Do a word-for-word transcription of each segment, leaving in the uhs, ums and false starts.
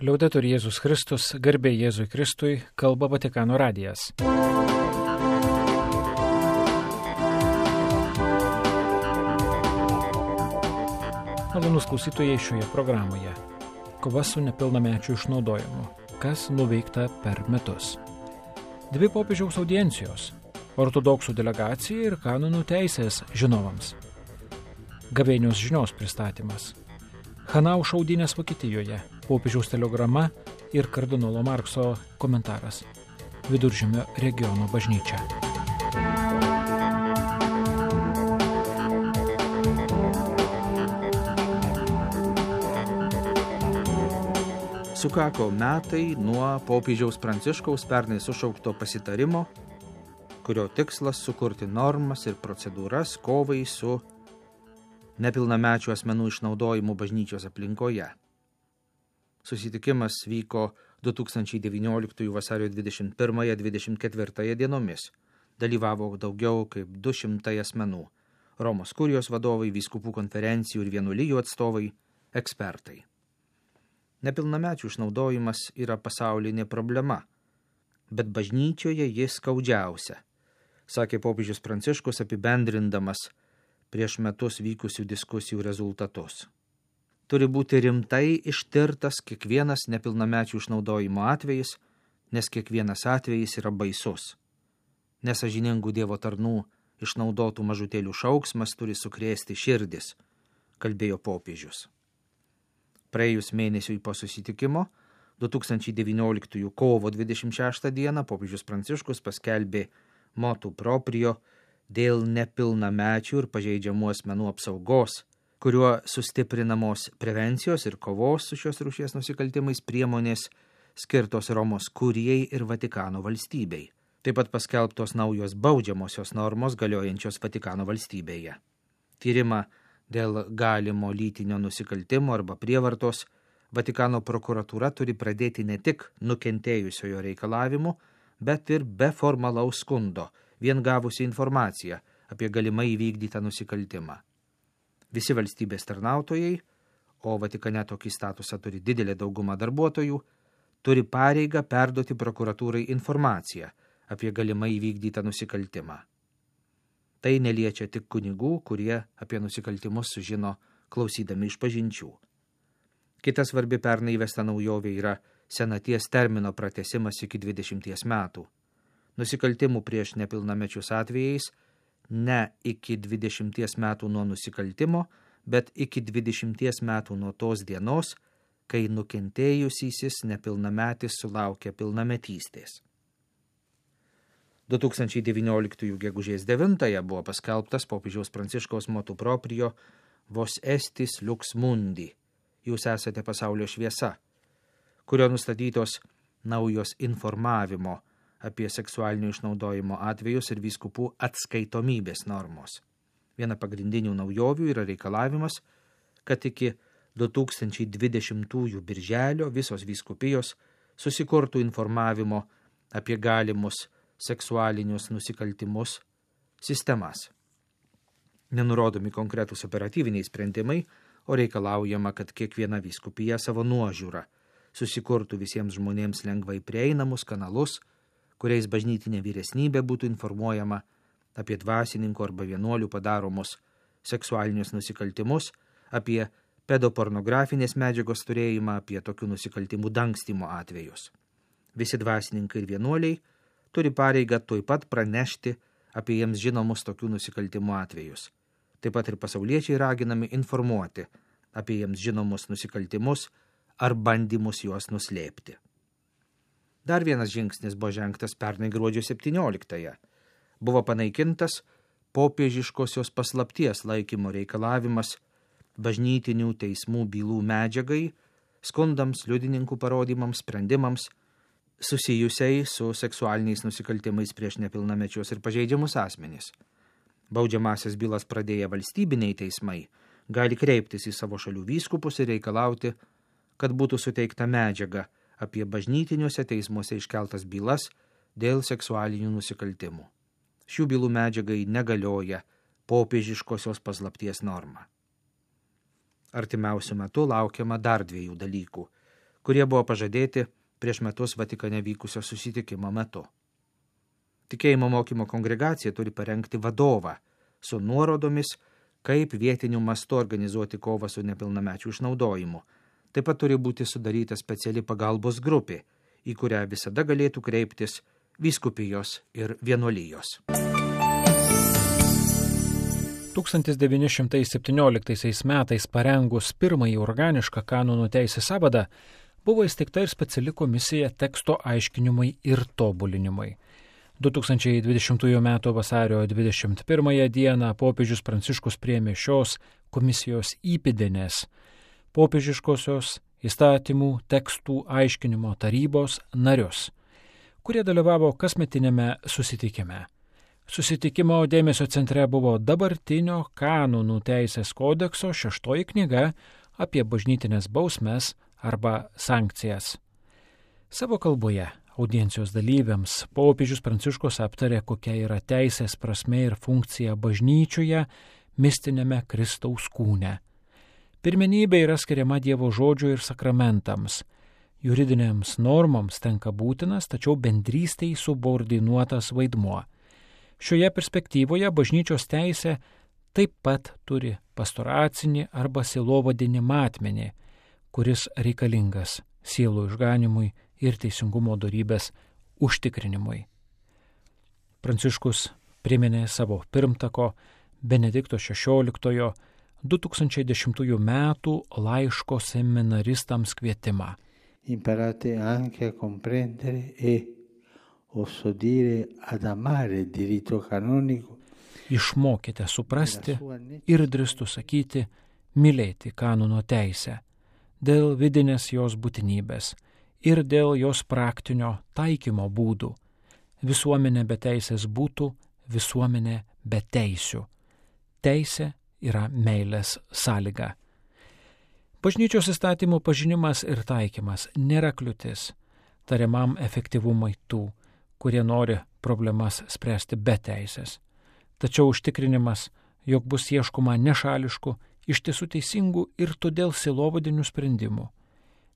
Liaudetur Jėzus Kristus, garbė Jėzui Kristui, kalba Vatikano radijas. Malonūs klausytojai šioje programoje. Kova su nepilnamečių išnaudojimu. Kas nuveikta per metus. Dvi popiežiaus audiencijos. Ortodoksų delegacija ir kanonų teisės žinovams. Gavėnios žinios pristatymas. Hanau šaudynės Vokietijoje. Popiežiaus telegrama ir kardinolo Markso komentaras. Viduržemio regiono bažnyčia. Sukako metai nuo popiežiaus Pranciškaus pernai sušaukto pasitarimo, kurio tikslas sukurti normas ir procedūras kovai su nepilnamečių asmenų išnaudojimu bažnyčios aplinkoje. Susitikimas vyko du tūkstančiai devynioliktųjų vasario dvidešimt pirmąją - dvidešimt ketvirtąją dienomis. Dalyvavo daugiau kaip du šimtai asmenų – Romos kurijos vadovai, vyskupų konferencijų ir vienuolijų atstovai, ekspertai. Nepilnamečių išnaudojimas yra pasaulinė problema, bet bažnyčioje jis skaudžiausia, sakė popiežius Pranciškus apibendrindamas prieš metus vykusių diskusijų rezultatus. Turi būti rimtai ištirtas kiekvienas nepilnamečių išnaudojimo atvejis, nes kiekvienas atvejis yra baisus. Nesažiningų Dievo tarnų išnaudotų mažutėlių šauksmas turi sukrėsti širdis, kalbėjo popiežius. Praėjus mėnesiui po susitikimo, du tūkstančiai devynioliktųjų kovo dvidešimt šeštą dieną popiežius Pranciškus paskelbė motu proprio dėl nepilnamečių ir pažeidžiamų asmenų apsaugos, kuriuo sustiprinamos prevencijos ir kovos su šios rūšies nusikaltimais priemonės skirtos Romos kurijai ir Vatikano valstybei. Taip pat paskelbtos naujos baudžiamosios normos galiojančios Vatikano valstybėje. Tyrimą dėl galimo lytinio nusikaltimo arba prievartos Vatikano prokuratūra turi pradėti ne tik nukentėjusiojo reikalavimu, bet ir be formalaus skundo, vien gavusi informaciją apie galimai įvykdytą nusikaltimą. Visi valstybės tarnautojai, o Vatikane tokį statusą turi didelė dauguma darbuotojų, turi pareigą perduoti prokuratūrai informaciją apie galimai įvykdytą nusikaltimą. Tai neliečia tik kunigų, kurie apie nusikaltimus sužino klausydami išpažinčių. Kita svarbi pernai įvesta naujovė yra senaties termino pratęsimas iki dvidešimties metų. Nusikaltimų prieš nepilnamečius atvejais ne iki dvidešimties metų nuo nusikaltimo, bet iki dvidešimties metų nuo tos dienos, kai nukentėjusysis nepilnametis sulaukia pilnametystės. du tūkstančiai devynioliktųjų gegužės devintąją buvo paskelbtas popiežiaus Pranciškaus motu proprio Vos estis lux mundi, jūs esate pasaulio šviesa, kurio nustatytos naujos informavimo apie seksualinio išnaudojimo atvejus ir vyskupų atskaitomybės normos. Viena pagrindinių naujovių yra reikalavimas, kad iki du tūkstančiai dvidešimtųjų birželio visos vyskupijos susikurtų informavimo apie galimus seksualinius nusikaltimus sistemas. Nenurodomi konkretūs operatyviniai sprendimai, o reikalaujama, kad kiekviena vyskupija savo nuožiūrą susikurtų visiems žmonėms lengvai prieinamus kanalus, kuriais bažnytinė vyresnybė būtų informuojama apie dvasininkų arba vienuolių padaromus seksualinius nusikaltimus, apie pedopornografinės medžiagos turėjimą, apie tokių nusikaltimų dangstymo atvejus. Visi dvasininkai ir vienuoliai turi pareigą tuoj pat pranešti apie jiems žinomus tokių nusikaltimų atvejus. Taip pat ir pasauliečiai raginami informuoti apie jiems žinomus nusikaltimus ar bandymus juos nuslėpti. Dar vienas žingsnis buvo žengtas pernai gruodžio septynioliktąją. Buvo panaikintas popiežiškosios paslapties laikymo reikalavimas bažnytinių teismų bylų medžiagai, skundams, liudininkų parodymams, sprendimams, susijusiai su seksualiniais nusikaltimais prieš nepilnamečius ir pažeidžiamus asmenys. Baudžiamasias bylas pradėję valstybiniai teismai gali kreiptis į savo šalių vyskupus ir reikalauti, kad būtų suteikta medžiaga apie bažnytiniuose teismuose iškeltas bylas dėl seksualinių nusikaltimų. Šių bylų medžiagai negalioja popiežiškosios paslapties norma. Artimiausiu metu laukiama dar dviejų dalykų, kurie buvo pažadėti prieš metus Vatikane vykusio susitikimo metu. Tikėjimo mokymo kongregacija turi parengti vadovą su nuorodomis, kaip vietiniu mastu organizuoti kovą su nepilnamečių išnaudojimu. Taip pat turi būti sudaryta speciali pagalbos grupė, į kurią visada galėtų kreiptis vyskupijos ir vienuolijos. tūkstantis devyni šimtai septynioliktaisiais metais parengus pirmąjį organišką kanonų teisės sąvadą, buvo įsteigta ir speciali komisija teksto aiškinimui ir tobulinimui. du tūkstančiai dvidešimtųjų metų vasario dvidešimt pirmąją dieną popiežius Pranciškus priėmė šios komisijos įpėdinės popiežiškosios įstatymų tekstų aiškinimo tarybos narius, kurie dalyvavo kasmetinėme susitikime. Susitikimo dėmesio centre buvo dabartinio kanonų teisės kodekso šeštoji knyga apie bažnytinės bausmes arba sankcijas. Savo kalboje audiencijos dalyviams popiežius Pranciškus aptarė, kokia yra teisės prasmė ir funkcija bažnyčioje, mistinėme Kristaus kūne. Pirmenybė yra skiriama Dievo žodžio ir sakramentams. Juridinėms normoms tenka būtinas, tačiau bendrystei subordinuotas vaidmuo. Šioje perspektyvoje bažnyčios teisė taip pat turi pastoracinį arba sielovadinį matmenį, kuris reikalingas sielų išganimui ir teisingumo dorybės užtikrinimui. Pranciškus priminė savo pirmtako Benedikto šešioliktojo du tūkstančiai dešimtųjų metų laiško seminaristams kvietimą. Imparate anche a comprendere e oso dire ad amare il diritto canonico. Išmokite suprasti ir drįstu sakyti, mylėti kanono teisę, dėl vidinės jos būtinybės ir dėl jos praktinio taikymo būdų. Visuomenė be teisės būtų visuomenė be teisių. Teisė yra meilės sąlyga. Bažnyčios įstatymų pažinimas ir taikymas nėra kliūtis tariamam efektyvumui tų, kurie nori problemas spręsti be teisės. Tačiau užtikrinimas, jog bus ieškoma nešališkų, iš tiesų teisingų ir todėl sielovadinių sprendimų.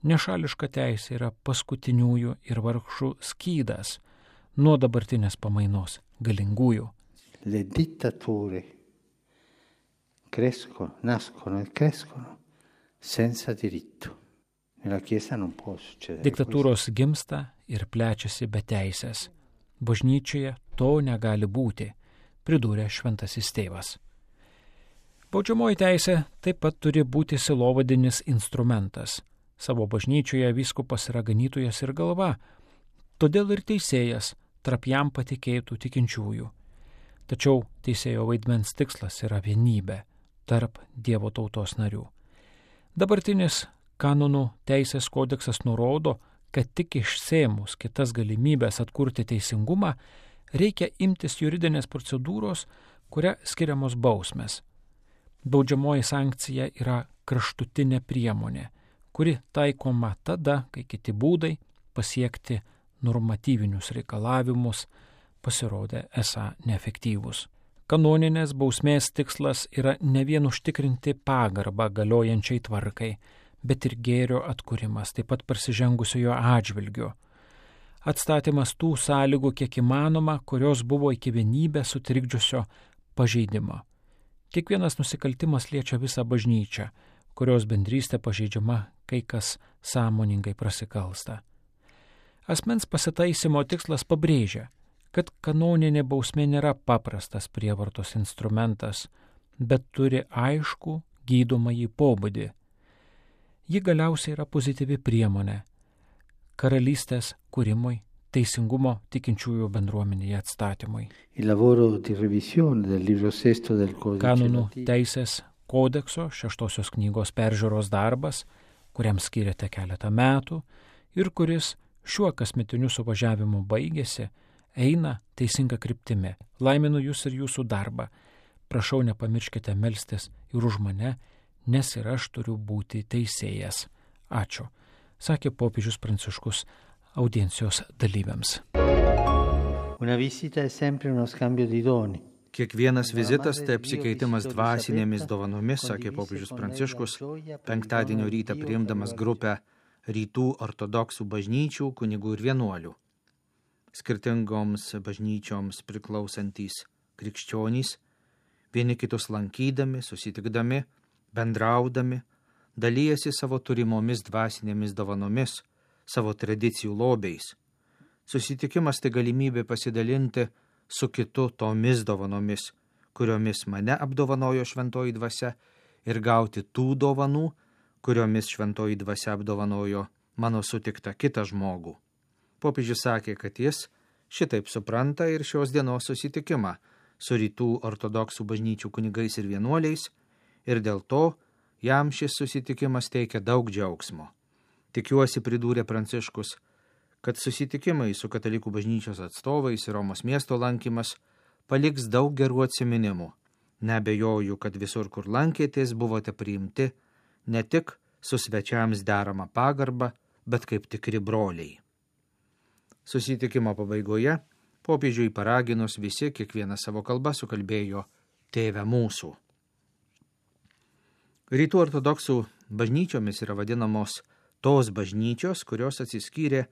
Nešališka teisė yra paskutiniųjų ir vargšų skydas nuo dabartinės pamainos galingųjų. Le dittature crescono, nascono e crescono senza diritto. Nella Chiesa non può succedere. Diktatūros gimsta ir plečiasi be teisės. Bažnyčioje to negali būti, pridūrė šventasis tėvas. Baudžiamoji teisė taip pat turi būti sielovadinis instrumentas. Savo bažnyčioje vyskupas yra ganytojas ir galva, todėl ir teisėjas tarp jam patikėtų tikinčiųjų. Tačiau teisėjo vaidmens tikslas yra vienybė tarp Dievo tautos narių. Dabartinis kanonų teisės kodeksas nurodo, kad tik išsėmus kitas galimybės atkurti teisingumą, reikia imtis juridinės procedūros, kuria skiriamos bausmės. Baudžiamoji sankcija yra kraštutinė priemonė, kuri taikoma tada, kai kiti būdai pasiekti normatyvinius reikalavimus pasirodė esą neefektyvūs. Kanoninės bausmės tikslas yra ne vien užtikrinti pagarbą galiojančiai tvarkai, bet ir gėrio atkūrimas, taip pat prasižengusiojo atžvilgiu. Atstatymas tų sąlygų, kiek įmanoma, kurios buvo iki vienybės sutrikdžiusio pažeidimo. Kiekvienas nusikaltimas liečia visą bažnyčią, kurios bendrystė pažeidžiama, kai kas sąmoningai prasikalsta. Asmens pasitaisimo tikslas pabrėžia, kad kanoninė bausmė nėra paprastas prievartos instrumentas, bet turi aiškų gydomąjį pobūdį. Ji galiausiai yra pozityvi priemonė karalystės kūrimui, teisingumo tikinčiųjų bendruomenėje atstatymui. Kanonų teisės kodekso šeštosios knygos peržiūros darbas, kuriam skiriate keletą metų ir kuris šiuo kasmetiniu suvažiavimu baigėsi, eina teisinga kryptimi. Laiminu jūs ir jūsų darbą. Prašau, nepamirškite melstis ir už mane, nes ir aš turiu būti teisėjas. Ačiū, sakė popiežius Pranciškus audiencijos dalyviams. Una visita è sempre uno scambio di doni. Kiekvienas vizitas tai apsikeitimas dvasinėmis dovanomis, sakė popiežius Pranciškus, penktadienio rytą priimdamas grupę rytų ortodoksų bažnyčių kunigų ir vienuolių. Skirtingoms bažnyčioms priklausantys krikščionys, vieni kitus lankydami, susitikdami, bendraudami, dalyjasi savo turimomis dvasinėmis dovanomis, savo tradicijų lobiais. Susitikimas tai galimybė pasidalinti su kitu tomis dovanomis, kuriomis mane apdovanojo šventoji dvasia, ir gauti tų dovanų, kuriomis šventoji dvasia apdovanojo mano sutiktą kitą žmogų. Popiežius sakė, kad jis šitaip supranta ir šios dienos susitikimą su rytų ortodoksų bažnyčių kunigais ir vienuoliais, ir dėl to jam šis susitikimas teikia daug džiaugsmo. Tikiuosi, pridūrė Pranciškus, kad susitikimai su katalikų bažnyčios atstovais ir Romos miesto lankymas paliks daug gerų atsiminimų. Neabejoju, kad visur, kur lankėtės, buvote priimti ne tik su svečiams derama pagarba, bet kaip tikri broliai. Susitikimo pabaigoje popiežiui paraginus visi kiekvieną savo kalbą sukalbėjo Tėve mūsų. Rytų ortodoksų bažnyčiomis yra vadinamos tos bažnyčios, kurios atsiskyrė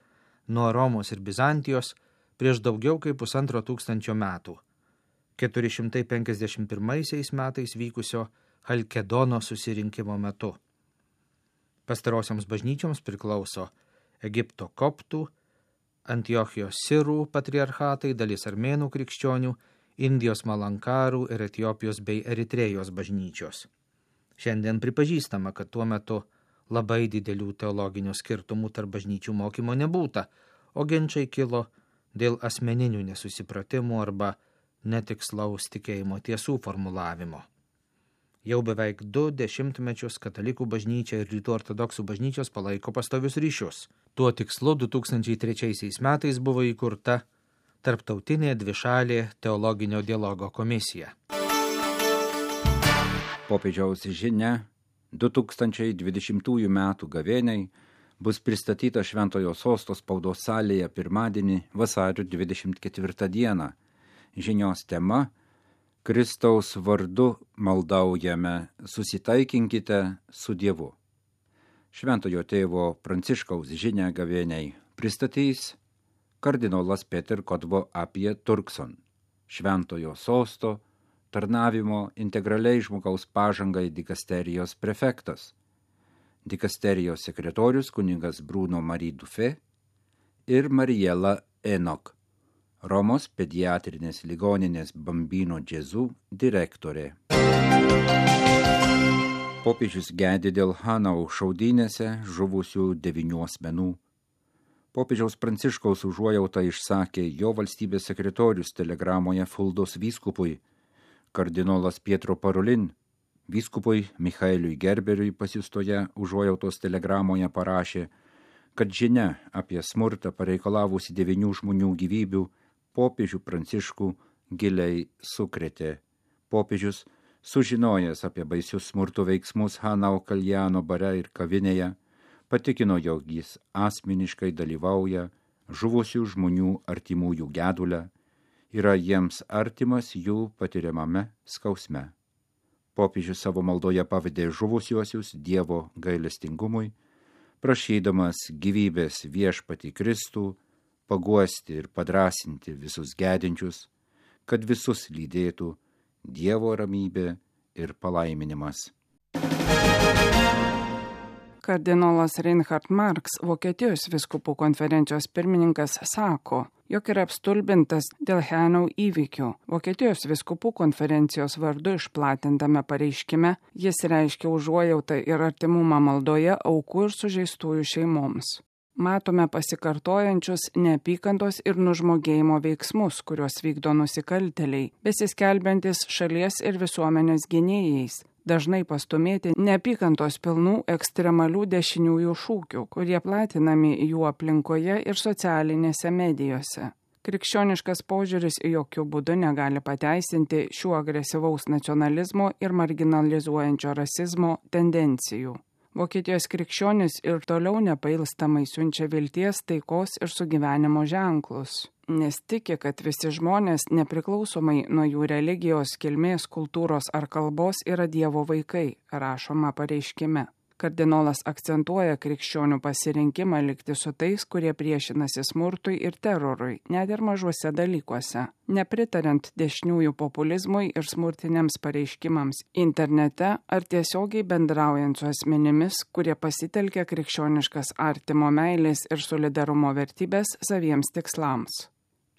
nuo Romos ir Bizantijos prieš daugiau kaip pusantro tūkstančio metų, keturi šimtai penkiasdešimt pirmaisiais metais vykusio Halkedono susirinkimo metu. Pastarosioms bažnyčioms priklauso Egipto koptų, Antiochijos sirų patriarchatai, dalis armėnų krikščionių, Indijos malankarų ir Etiopijos bei Eritrėjos bažnyčios. Šiandien pripažįstama, kad tuo metu labai didelių teologinių skirtumų tarp bažnyčių mokymo nebūta, o ginčai kilo dėl asmeninių nesusipratimų arba netikslaus tikėjimo tiesų formulavimo. Jau beveik du dešimtmečius katalikų bažnyčia ir rytų ortodoksų bažnyčios palaiko pastovius ryšius. Tuo tikslu du tūkstančiai trečiaisiais metais buvo įkurta Tarptautinė dvišalė teologinio dialogo komisija. Popiežiaus žinia du tūkstančiai dvidešimtųjų metų gavėniai bus pristatyta Šventojo Sosto spaudos salėje pirmadienį vasario dvidešimt ketvirtą dieną. Žinios tema – Kristaus vardu maldaujame, susitaikinkite su Dievu. Šventojo tėvo Pranciškaus žinią gavėniai pristatys kardinolas Peter Kodvo apie Turkson, Šventojo Sosto tarnavimo integraliai žmogaus pažangai dikasterijos prefektas, dikasterijos sekretorius kunigas Bruno Marie Dufé ir Mariela Enok, Romos pediatrinės ligoninės Bambino Džezų direktorė. Popiežius gedi dėl Hanau šaudynėse žuvusių devynių asmenų. Popiežiaus Pranciškaus užuojautą išsakė jo valstybės sekretorius telegramoje Fuldos vyskupui, kardinolas Pietro Parolin, vyskupui Michaeliui Gerberiui pasiustoje užuojautos telegramoje parašė, kad žinia apie smurtą pareikalavusi devynių žmonių gyvybių popiežių Pranciškų giliai sukrėtė. Popiežius, sužinojęs apie baisius smurto veiksmus Hanau Kaljano bare ir kavinėje, patikino, jog jis asmeniškai dalyvauja žuvusių žmonių artimųjų gedule, yra jiems artimas jų patiriamame skausme. Popiežius savo maldoje pavedė žuvusiuosius Dievo gailestingumui, prašydamas gyvybės viešpatį Kristų, paguosti ir padrasinti visus gedinčius, kad visus lydėtų Dievo ramybė ir palaiminimas. Kardinolas Reinhard Marx, Vokietijos vyskupų konferencijos pirmininkas, sako, jog yra apstulbintas dėl Hanau įvykių. Vokietijos vyskupų konferencijos vardu išplatintame pareiškime jis reiškia užuojautą ir artimumą maldoje aukų ir sužeistųjų šeimoms. Matome pasikartojančius neapykantos ir nužmogėjimo veiksmus, kuriuos vykdo nusikaltėliai, besiskelbiantis šalies ir visuomenės gynėjais, dažnai pastumėti neapykantos pilnų ekstremalių dešiniųjų šūkių, kurie platinami jų aplinkoje ir socialinėse medijose. Krikščioniškas požiūris jokių būdų negali pateisinti šių agresyvaus nacionalizmo ir marginalizuojančio rasizmo tendencijų. Vokietijos krikščionis ir toliau nepailstamai siunčia vilties, taikos ir sugyvenimo ženklus, nes tiki, kad visi žmonės, nepriklausomai nuo jų religijos, kilmės, kultūros ar kalbos, yra Dievo vaikai, rašoma pareiškime. Kardinolas akcentuoja krikščionių pasirinkimą likti su tais, kurie priešinasi smurtui ir terorui, net ir mažuose dalykuose, nepritariant dešiniųjų populizmui ir smurtiniams pareiškimams internete ar tiesiogiai bendraujant su asmenimis, kurie pasitelkia krikščioniškas artimo meilės ir solidarumo vertybės saviems tikslams.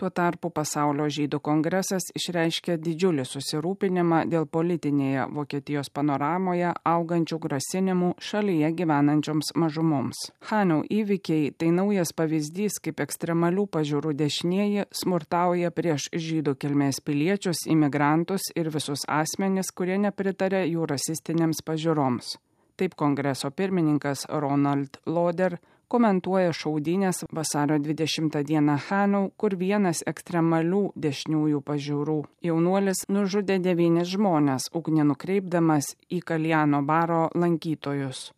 Tuo tarpu Pasaulio žydų kongresas išreiškė didžiulį susirūpinimą dėl politinėje Vokietijos panoramoje augančių grasinimų šalyje gyvenančioms mažumoms. Hanau įvykiai tai naujas pavyzdys, kaip ekstremalių pažiūrų dešinieji smurtauja prieš žydų kilmės piliečius, imigrantus ir visus asmenis, kurie nepritarė jų rasistinėms pažiūroms. Taip kongreso pirmininkas Ronald Loder komentuoja šaudynės vasario dvidešimtą dieną Hanau, kur vienas ekstremalių dešiniųjų pažiūrų jaunuolis nužudė devynis žmones, ugnį nukreipdamas į Kaljano baro lankytojus.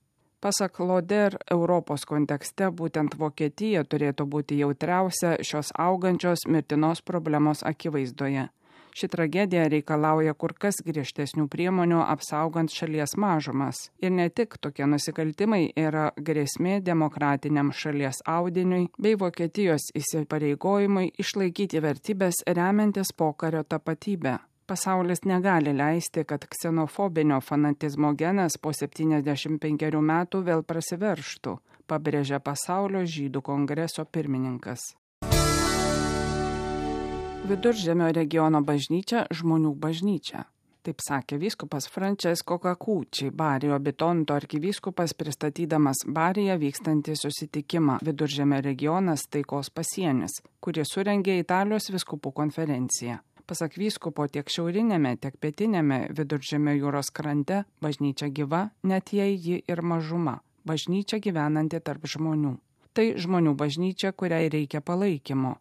Pasak Loder, Europos kontekste būtent Vokietija turėtų būti jautriausia šios augančios mirtinos problemos akivaizdoje. Ši tragedija reikalauja kur kas griežtesnių priemonių apsaugant šalies mažumas. Ir ne tik tokie nusikaltimai yra grėsmė demokratiniam šalies audiniui bei Vokietijos įsipareigojimui išlaikyti vertybės remiantis pokario tapatybę. Pasaulis negali leisti, kad ksenofobinio fanatizmo genas po septyniasdešimt penkerių metų vėl prasiverštų, pabrėžia Pasaulio žydų kongreso pirmininkas. Viduržemio regiono bažnyčia žmonių bažnyčia. Taip sakė vyskupas Francesco Cacucci, Barijo Bitonto arkivyskupas, pristatydamas Bariją vykstantį susitikimą Viduržemio regionas taikos pasienis, kurį surengė Italijos vyskupų konferencija. Pasak vyskupo, tiek šiaurinėme, tiek pietinėme Viduržemio jūros krante bažnyčia gyva, net jei ji ir mažuma, bažnyčia gyvenanti tarp žmonių. Tai žmonių bažnyčia, kuriai reikia palaikymo.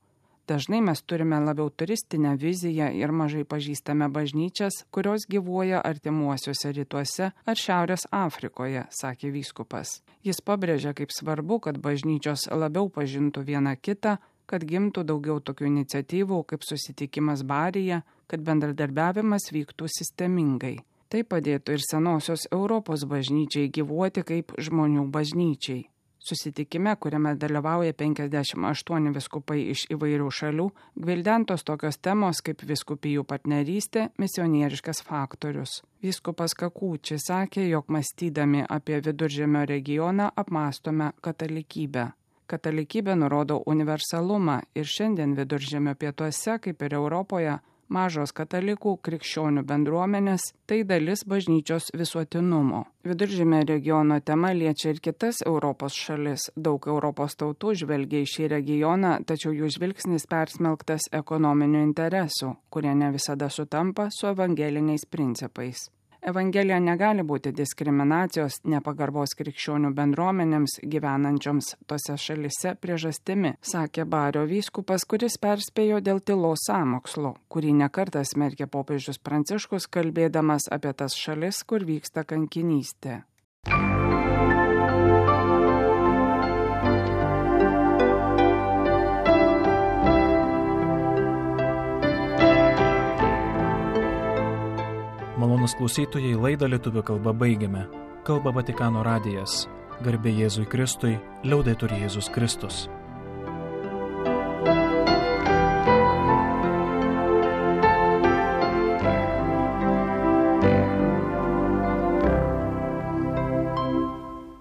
Dažnai mes turime labiau turistinę viziją ir mažai pažįstame bažnyčias, kurios gyvuoja artimuosiuose rytuose ar Šiaurės Afrikoje, sakė vyskupas. Jis pabrėžia, kaip svarbu, kad bažnyčios labiau pažintų vieną kitą, kad gimtų daugiau tokių iniciatyvų kaip susitikimas Baryje, kad bendradarbiavimas vyktų sistemingai. Tai padėtų ir senosios Europos bažnyčiai gyvuoti kaip žmonių bažnyčiai. Susitikime, kuriame dalyvauja penkiasdešimt aštuoni vyskupai iš įvairių šalių, gvildentos tokios temos kaip vyskupijų partnerystė, misionieriškas faktorius. Vyskupas Cacucci sakė, jog mąstydami apie Viduržemio regioną apmąstome katalikybę. Katalikybė nurodo universalumą ir šiandien Viduržemio pietuose, kaip ir Europoje, mažos katalikų krikščionių bendruomenės – tai dalis bažnyčios visuotinumo. Viduržemio regiono tema liečia ir kitas Europos šalis. Daug Europos tautų žvelgia į šį regioną, tačiau jų žvilgsnis persmelktas ekonominių interesų, kurie ne visada sutampa su evangeliniais principais. Evangelija negali būti diskriminacijos, nepagarbos krikščionių bendruomenėms gyvenančioms tose šalise priežastimi, sakė Bario vyskupas, kuris perspėjo dėl tylos sąmokslo, kurį nekartą smerkė popiežius Pranciškus, kalbėdamas apie tas šalis, kur vyksta kankinystė. Malonus klausytojai, laidą lietuvių kalba baigiame. Kalba Vatikano radijas. Garbė Jėzui Kristui, liaudetur Jėzus Kristus.